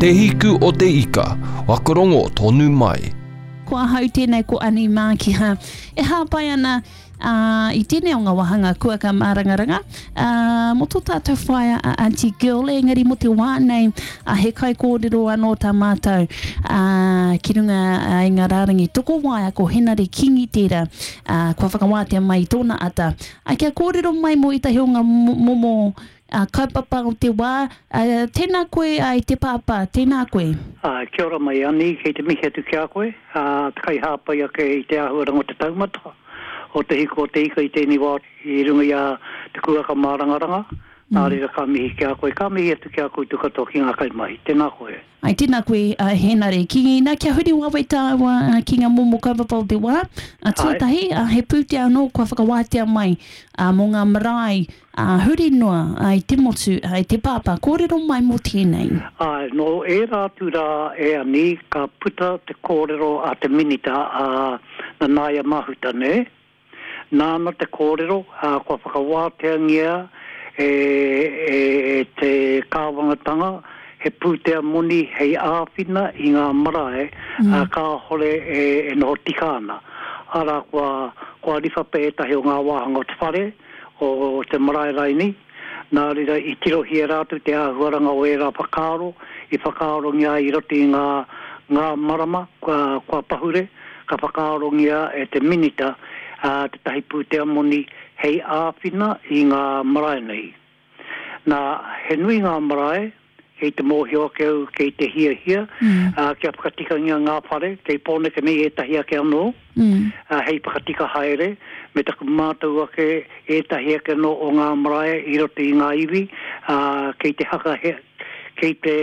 Te Hiku o te Ika, whakarongo tonu mai. Ko ahau tēnei ko Ani Mākiha e hāpai ana ā, i tēnei o ngā wāhanga kuaka mārangaranga, ā, mō tō tātou whaea a Aunty Gill, engari mō te wā nei, ā, he kaikōrero anō tā mātou, ā, ki runga i ngā rārangi tokowaea ko Henare Kingi tērā, ā, kua whakawātea mai i tōna ata, ā, kia kōrero mai mō ētahi o ngā momo ā, kaupapa o te wā, ā, tēnā koe, ā, e te pāpā, tēnā koe. Ā, kia ora mai Ani, kei te mihi atu ki a koe, ā, te kaihāpai ake i te āhuaranga o te taumata o te hiko o te ika i tēnei wā i runga i a Te Kūaka Mārangaranga, nā reira ka mihi ki a koe, ka mihi atu ki a koutou katoa ki ngā kaimahi. Tēnā koe. Ai, tēnā koe, a Hēnare Kingi. Nā, kia huri wawe tāua ki ngā momo kaupapa o te wā. A, tuatahi, a, he pūtea anō kua whakawātea mai a, mō ngā marae a, huri noa a, i te motu, a, i te pāpā. Kōrero mai mō tēnei. Āe, nō ērā atu rā e Ani, ka puta te kōrero a te Minita, a Nanaia Mahuta, nē? Nāna te kōrero, ā, kua whakawāteangia e, e, e te kāwanatanga he pūtea moni hei āwhina i ngā marae, ā, kāhore e, e noho tika ana. Arā, kua, kua riwha pea ētahi o ngā wāhanga o te whare, o te marae raini, nā reira i tirohia rātou te āhuaranga o ērā whakaaro i whakaarongia ai i roto i ngā, ngā marama kua, kua pahure, ka whakaarongia e te Minita tētahi pūtea moni hei āwhina i ngā marae nei. Nā, he nui ngā marae, kei te mōhio ake au kei te hiahia kia whakatikangia ngā whare, kei Pōneke nei ētahi ake anō, hei whakatika haere, me taku mātau ake ētahi ake anō o ngā marae i roto i ngā iwi, kei te haka, kei te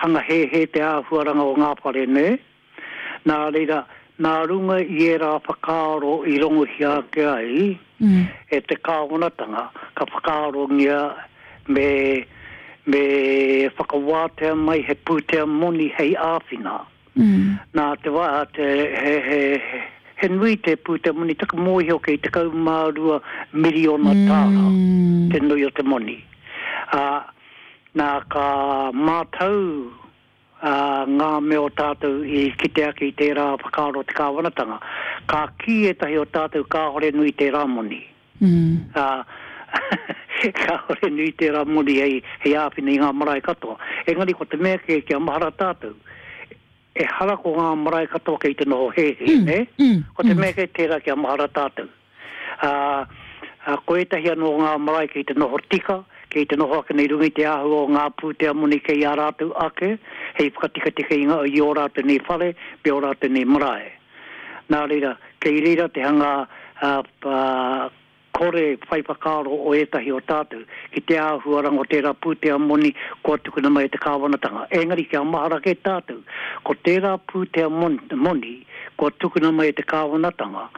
hanga hēhē te āhuaranga o ngā whare, nē? Nā reira, nā runga i ērā whakaaro i rongohia ake ai e te kāwanatanga, ka whakaarongia me, me whakawātea mai he pūtea moni hei āwhina. Nā te wā, te, he, he, he nui te pūtea moni, taku mōhio kei 12 miriona tāra te nui o te moni. Ā, nā ka mātau ā, ngā mea o tātou i kite ake i tērā whakaaro o te kāwanatanga. Ka kī ētahi o tātou kāore nui tērā moni. Ā, kāore nui tērā moni hei, hei āwhina i ngā marae katoa. Engari ko te mea kē kia mahara tātou, ehara ko ngā marae katoa kei te noho hēhē, nē? Ko te mea kē tērā kia mahara tātou. Ā, ko ētahi anō o ngā marae kei te noho tika, kei te noho ake nei runga i te āhua o ngā pūtea moni kei a rātou ake hei whakatikatika i ngā, i ō rātou nei whare me ō rātou nei marae. Nā reira, kei reira te hanga, ā, ā, kore whai whakaaro o ētahi o tātou ki te āhuaranga o tērā pūtea moni kua tukuna mai e te kāwanatanga. Engari kia mahara kē tātou, ko tērā pūtea moni kua tukuna mai e te kāwanatanga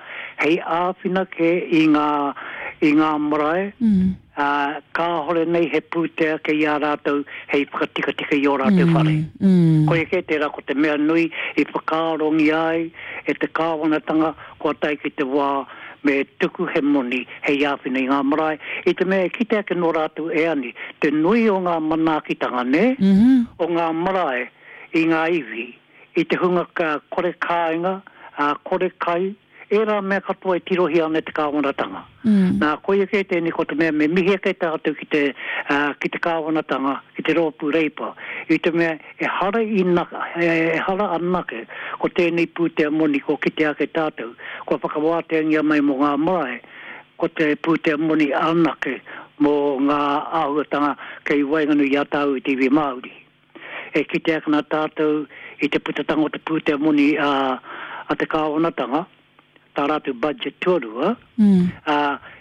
hei āwhina kē i ngā, i ngā marae, ā, kāhore nei he pūtea kei a rātou hei whakatikatika i ō rātou whare. Koia kē tērā ko te mea nui i whakaarongia ai e te kāwanatanga kua tae ki te wā me tuku he moni hei āwhina i ngā marae, i te mea e kite ake nō rātou e ani te nui o ngā manaakitanga, nē, o ngā marae i ngā iwi, i te hunga kore kāinga, ā, kore kai, ērā mea katoa e tirohia ana e te kāwanatanga. Nā, koia kē tēnei ko te mea me mihi ake tātou ki te, ā, ki te kāwanatanga, ki te Rōpū Reipa, i te mea ehara i, ehara anake ko tēnei pūtea moni kua kitea ake tātou, kua whakawāteangia mai mō ngā marae, ko te pūtea moni anake mō ngā āhuatanga kei waenganui i a tāu i te iwi Māori. E kite ake ana tātou i te putatanga o te pūtea moni a, a te kāwanatanga, tā rātou budget tuarua, ā,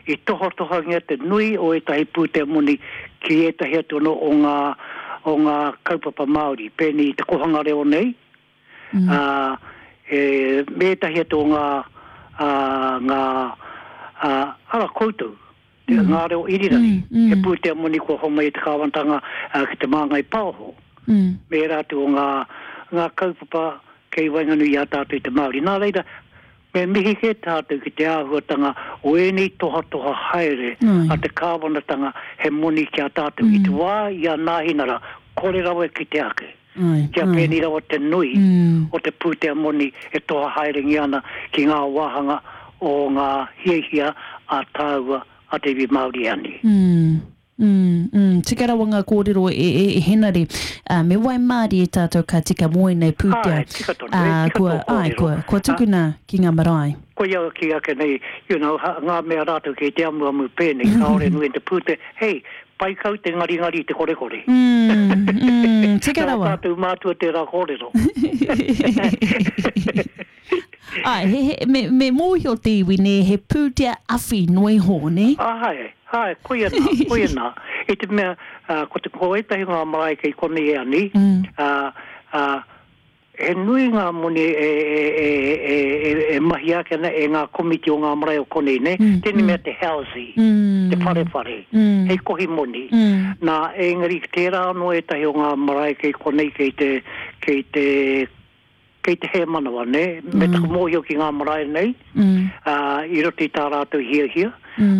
i tohatohangia te nui o ētahi pūtea moni ki ētahi atu anō o ngā, o ngā kaupapa Māori, pēnei i te kohanga reo nei, ā, e, me ētahi atu o ngā, ā, ngā, ā, ara koutou, te, ngā reo irirangi, he pūtea moni kua homai e te kāwanatanga ki Te Māngai Paoho, me ērā atu o ngā, ngā kaupapa kei waenganui i a tātou i te Māori. Nā reira, Me mihi kē tātou ki te āhuatanga o ēnei tohatoha haere a te kāwanatanga he moni ki a tātou. I te wā i a Nāhinara, kore rawa e kite ake. Kia pēnei rawa te nui o te pūtea moni e toha haerengia ana ki ngā wāhanga o ngā hiahia a tāua a te iwi Māori e ani. Mm, mm, tika rawa ngā kōrero e, e, e Henare. Uh, me waimārie tātou ka tika mō ēnei pūtea. Āe, tika tonu, e, tika kua, tō kōrero. Āe, kua, kua tukuna ki ngā marae. Koia au kī ake nei, you know, ha, ngā mea rātou kei te amuamu pēnei, kāore nui te pūtea, hei, pai kau te ngaringari i te korekore. Mm, mm, tika Nā rawa. tātou mātua tērā kōrero. Āe, he, he, me, me mōhio te iwi, nē, he pūtea awhi noa iho, nē? Āe, āe, koia nā, koia nā. I te mea, ā, ko te, ko ētahi o ngā marae kei konei e ani, ā, ā, he nui ngā moni e, e, e, e, e, e mahia ake ana e ngā komiti o ngā marae o konei, nē? Tēnei mea te housey, te wharewhare, hei kohi moni. Nā, engari tērā anō ētahi o ngā marae kei konei kei te, kei te, Kei te hēmanawa, nē, me taku mōhio ki ngā marae nei, ā, i roto i tā rātou hiahia,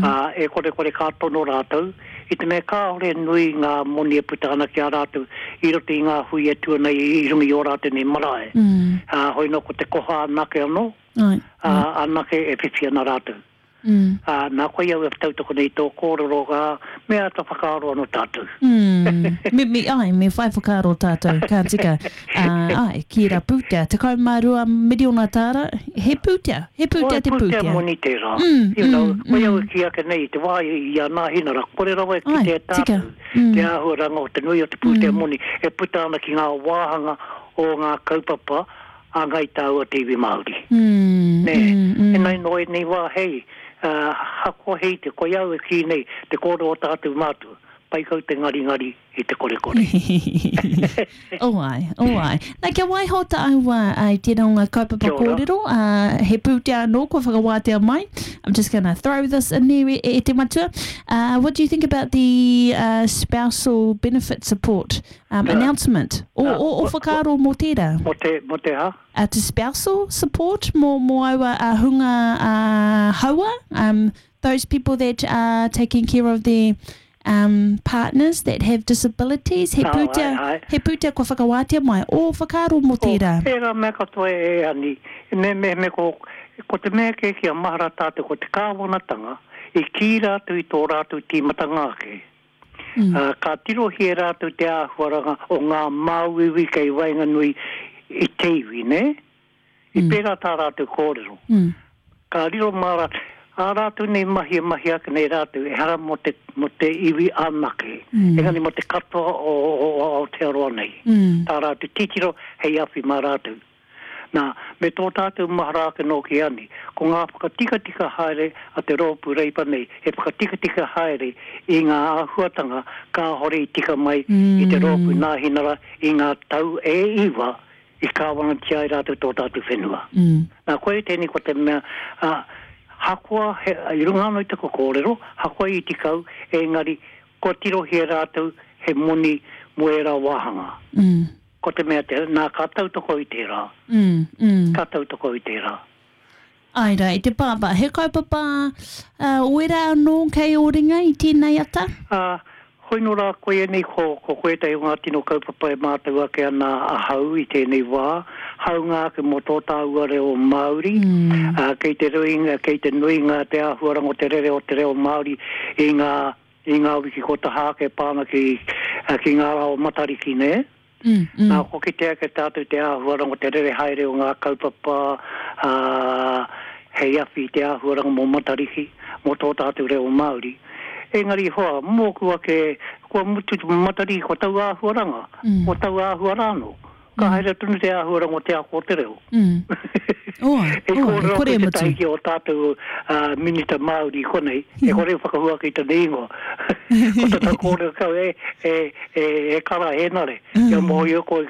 ā, e korekore ka tono rātou, i te mea kāore nui ngā moni e puta ana ki a rātou i roto i ngā hui e tū ana i runga i ō rātou nei marae. Ā, hoi nō ko te koha anake anō, ā, anake e whiwhi ana rātou. Ā, nā koia au e tautoko nei i tō kōrero, ā, me āta whakaaro anō tātou. Mm. Me, me, āe, me whai whakaaro tātou, ka tika. Ā, āe, ki ērā pūtea, 12 miriona tāra, he pūtea, he pūtea te pūtea. He pūtea moni tērā. Mm, you know, mm, koia au mm. e kī ake nei, i te wā i a Nāhinara, kore rawa e Āe, kitea e tika. tātou Mm. te āhuaranga o te nui o te pūtea moni e puta ana ki ngā wāhanga o ngā kaupapa a Ngai Tāua te iwi Māori. Mm, Nē, mm, mm. Enai nō ēnei wā hei, ā, hakoa hei te, koia au e kī nei, te kōrero o tātou mātua, pai kau te ngaringari i te korekore. Oh ai, oh ai. Nā, kia waiho tāua i tērā o ngā kaupapa Kia ora. kōrero, ā, he pūtea anō kua whakawātea mai. I'm just gonna throw this in there e, e te matua. Uh, what do you think about the uh, spousal benefit support Um, announcement. O, o, o whakaaro mō tērā? Mō te, mō te ha? Uh, te spousal support mō, mō aua uh, hunga uh, haua, um, those people that are taking care of their um, partners that have disabilities, he Oh, pūtea, ai, ai. he pūtea kua whakawātea mai, o whakaaro mō tērā. O, tērā mea katoa e Ani, me, me, me ko, ko te mea kē kia mahara tātou ko te kāwanatanga i kī rātou i tō rātou tīmatanga ake. Ā, ka tirohia e rātou te āhuaranga o ngā māuiui kei waenganui i te iwi, nē? I pērā tā rātou kōrero. Ka riro mā rātou, ā rātou nei mahi e mahi ake nei rātou, ehara mō te, mō te iwi anake, engari mō te katoa o, o, o Aotearoa nei. Tā rātou titiro hei awhi mā rātou. Nā, me tō tātou mahara ake nōki ani, ko ngā whakatikatika haere a te rōpū Reipa nei he whakatikatika haere i ngā āhuatanga kāhore i tika mai i te rōpū Nāhinara i ngā tau e iwa i kāwanatia ai rātou tō tātou whenua. Nā, koia tēnei ko te mea, ā, hakoa he, i runga anō i taku kōrero, hakoa i iti kau, engari kua tirohia rātou he moni mō ērā wāhanga. Ko te mea te, nā, ka tautoko i tērā. Mm, mm. Ka tautoko i tērā. Āe rā, e te pāpā, he kaupapa uh, wera anō kei ō ringa i tēnei ata? Ā, hoi nō rā, koia nei ko, ko ko ētahi o ngā tino kaupapa e mātau ake ana ahau i tēnei wā, hāunga ake mō tō tāua reo Māori, mm. ā, kei te ruinga, kei te nuinga te āhuaranga o te rere o te reo Māori i ngā I ngā wiki kua taha ake e pā ana ki, ki ngā rā o Matariki, nē? Mm, mm. Nā, kua kitea ake tātou te āhuaranga o te rere haere o ngā kaupapa, ā, hei awhi i te āhuaranga mō Matariki, mō tō tātou reo Māori. Engari hoa, mōku ake, kua mutu te Matariki, kua tau āhuaranga, Mm. kua tau āhua rānō. Ka haere tonu te āhuaranga o te ako o te reo. Mm. Oa, E oa, e kōrero kore atu e mutu. tētahi ki ō tātou Minita Māori i konei, e kore e whakahua ake i tana ingoa. Ko tana kōrero kau, e, e, e, e Kara Hēnare, kia mōhio koe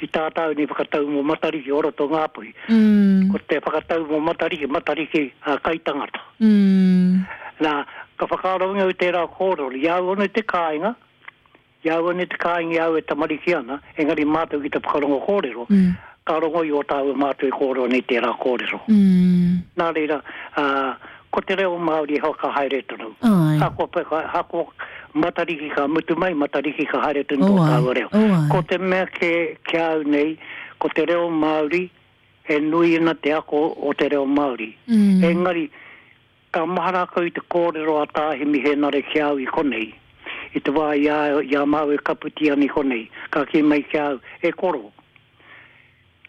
ki tā tāu nei whakatau mō Matariki o roto o Ngāpuhi. Mm. Ko te whakatau mō Matariki, Matariki a kaitangata. Mm. Nā, ka whakaarongia au tērā kōrero, i a au anō i te kāinga, I a au anō te kāinga i a au e tamariki ana, engari mātou ki te whakarongo kōrero, Ka rongo i ō tāua mātua e kōrero nei tērā kōrero. Nā reira, ā, ko te reo Māori e whakahaere tonu. Āe. Ahakoa, ahakoa Matariki ka mutu mai, Matariki ka haere tonu tō tāua reo. Ko te mea kē ki a au nei, ko te reo Māori, e nui ana te ako o te reo Māori. Engari, Ka mahara kau i te kōrero a Tā Himi Hēnare ki a au i konei, i te wā i a i a māua e kaputi ana i konei, ka kī mai ki a au, E koro,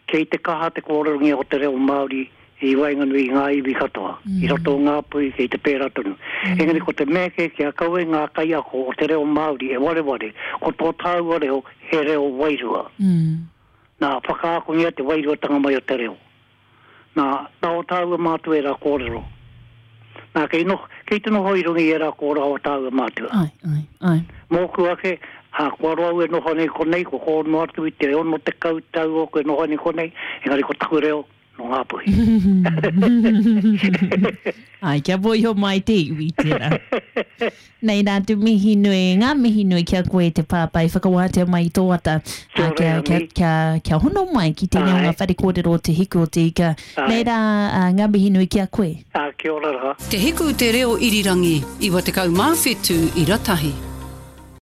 kei te kaha te kōrerongia o te reo Māori i waenganui i ngā iwi katoa, i roto o Ngāpuhi kei te pērā tonu. Engari ko te mea kē kia kaua ngā kaiako o te reo Māori e wareware, ko tō tāua reo he reo wairua. Nā, whakaakongia te wairuatanga mai o te reo. Nā, nā ō tāua mātua ērā kōrero. Nā, kei noho, kei te noho i runga i ērā kōrero a ō tāua mātua. Āe, āe, āe. Mōku ake, ā, kua roa au e noho nei konei, kua kō noa atu i te 60 tau ōku e noho nei konei, engari ko taku reo, nō Ngāpuhi. Āe, kia mōhio mai te iwi tērā. Nei rā te mihi nui, ngā mihi nui ki a koe te pāpā i whakawātea mai i tō ata, ā, kia, kia, kia, kia hono mai ki tēnei o ngā whare kōrero o Te Hiku o Te Ika. Nei rā, ā, ngā mihi nui ki a koe. Ā, kia ora rā. Te Hiku Te Reo Irirangi, 97 ira tahi.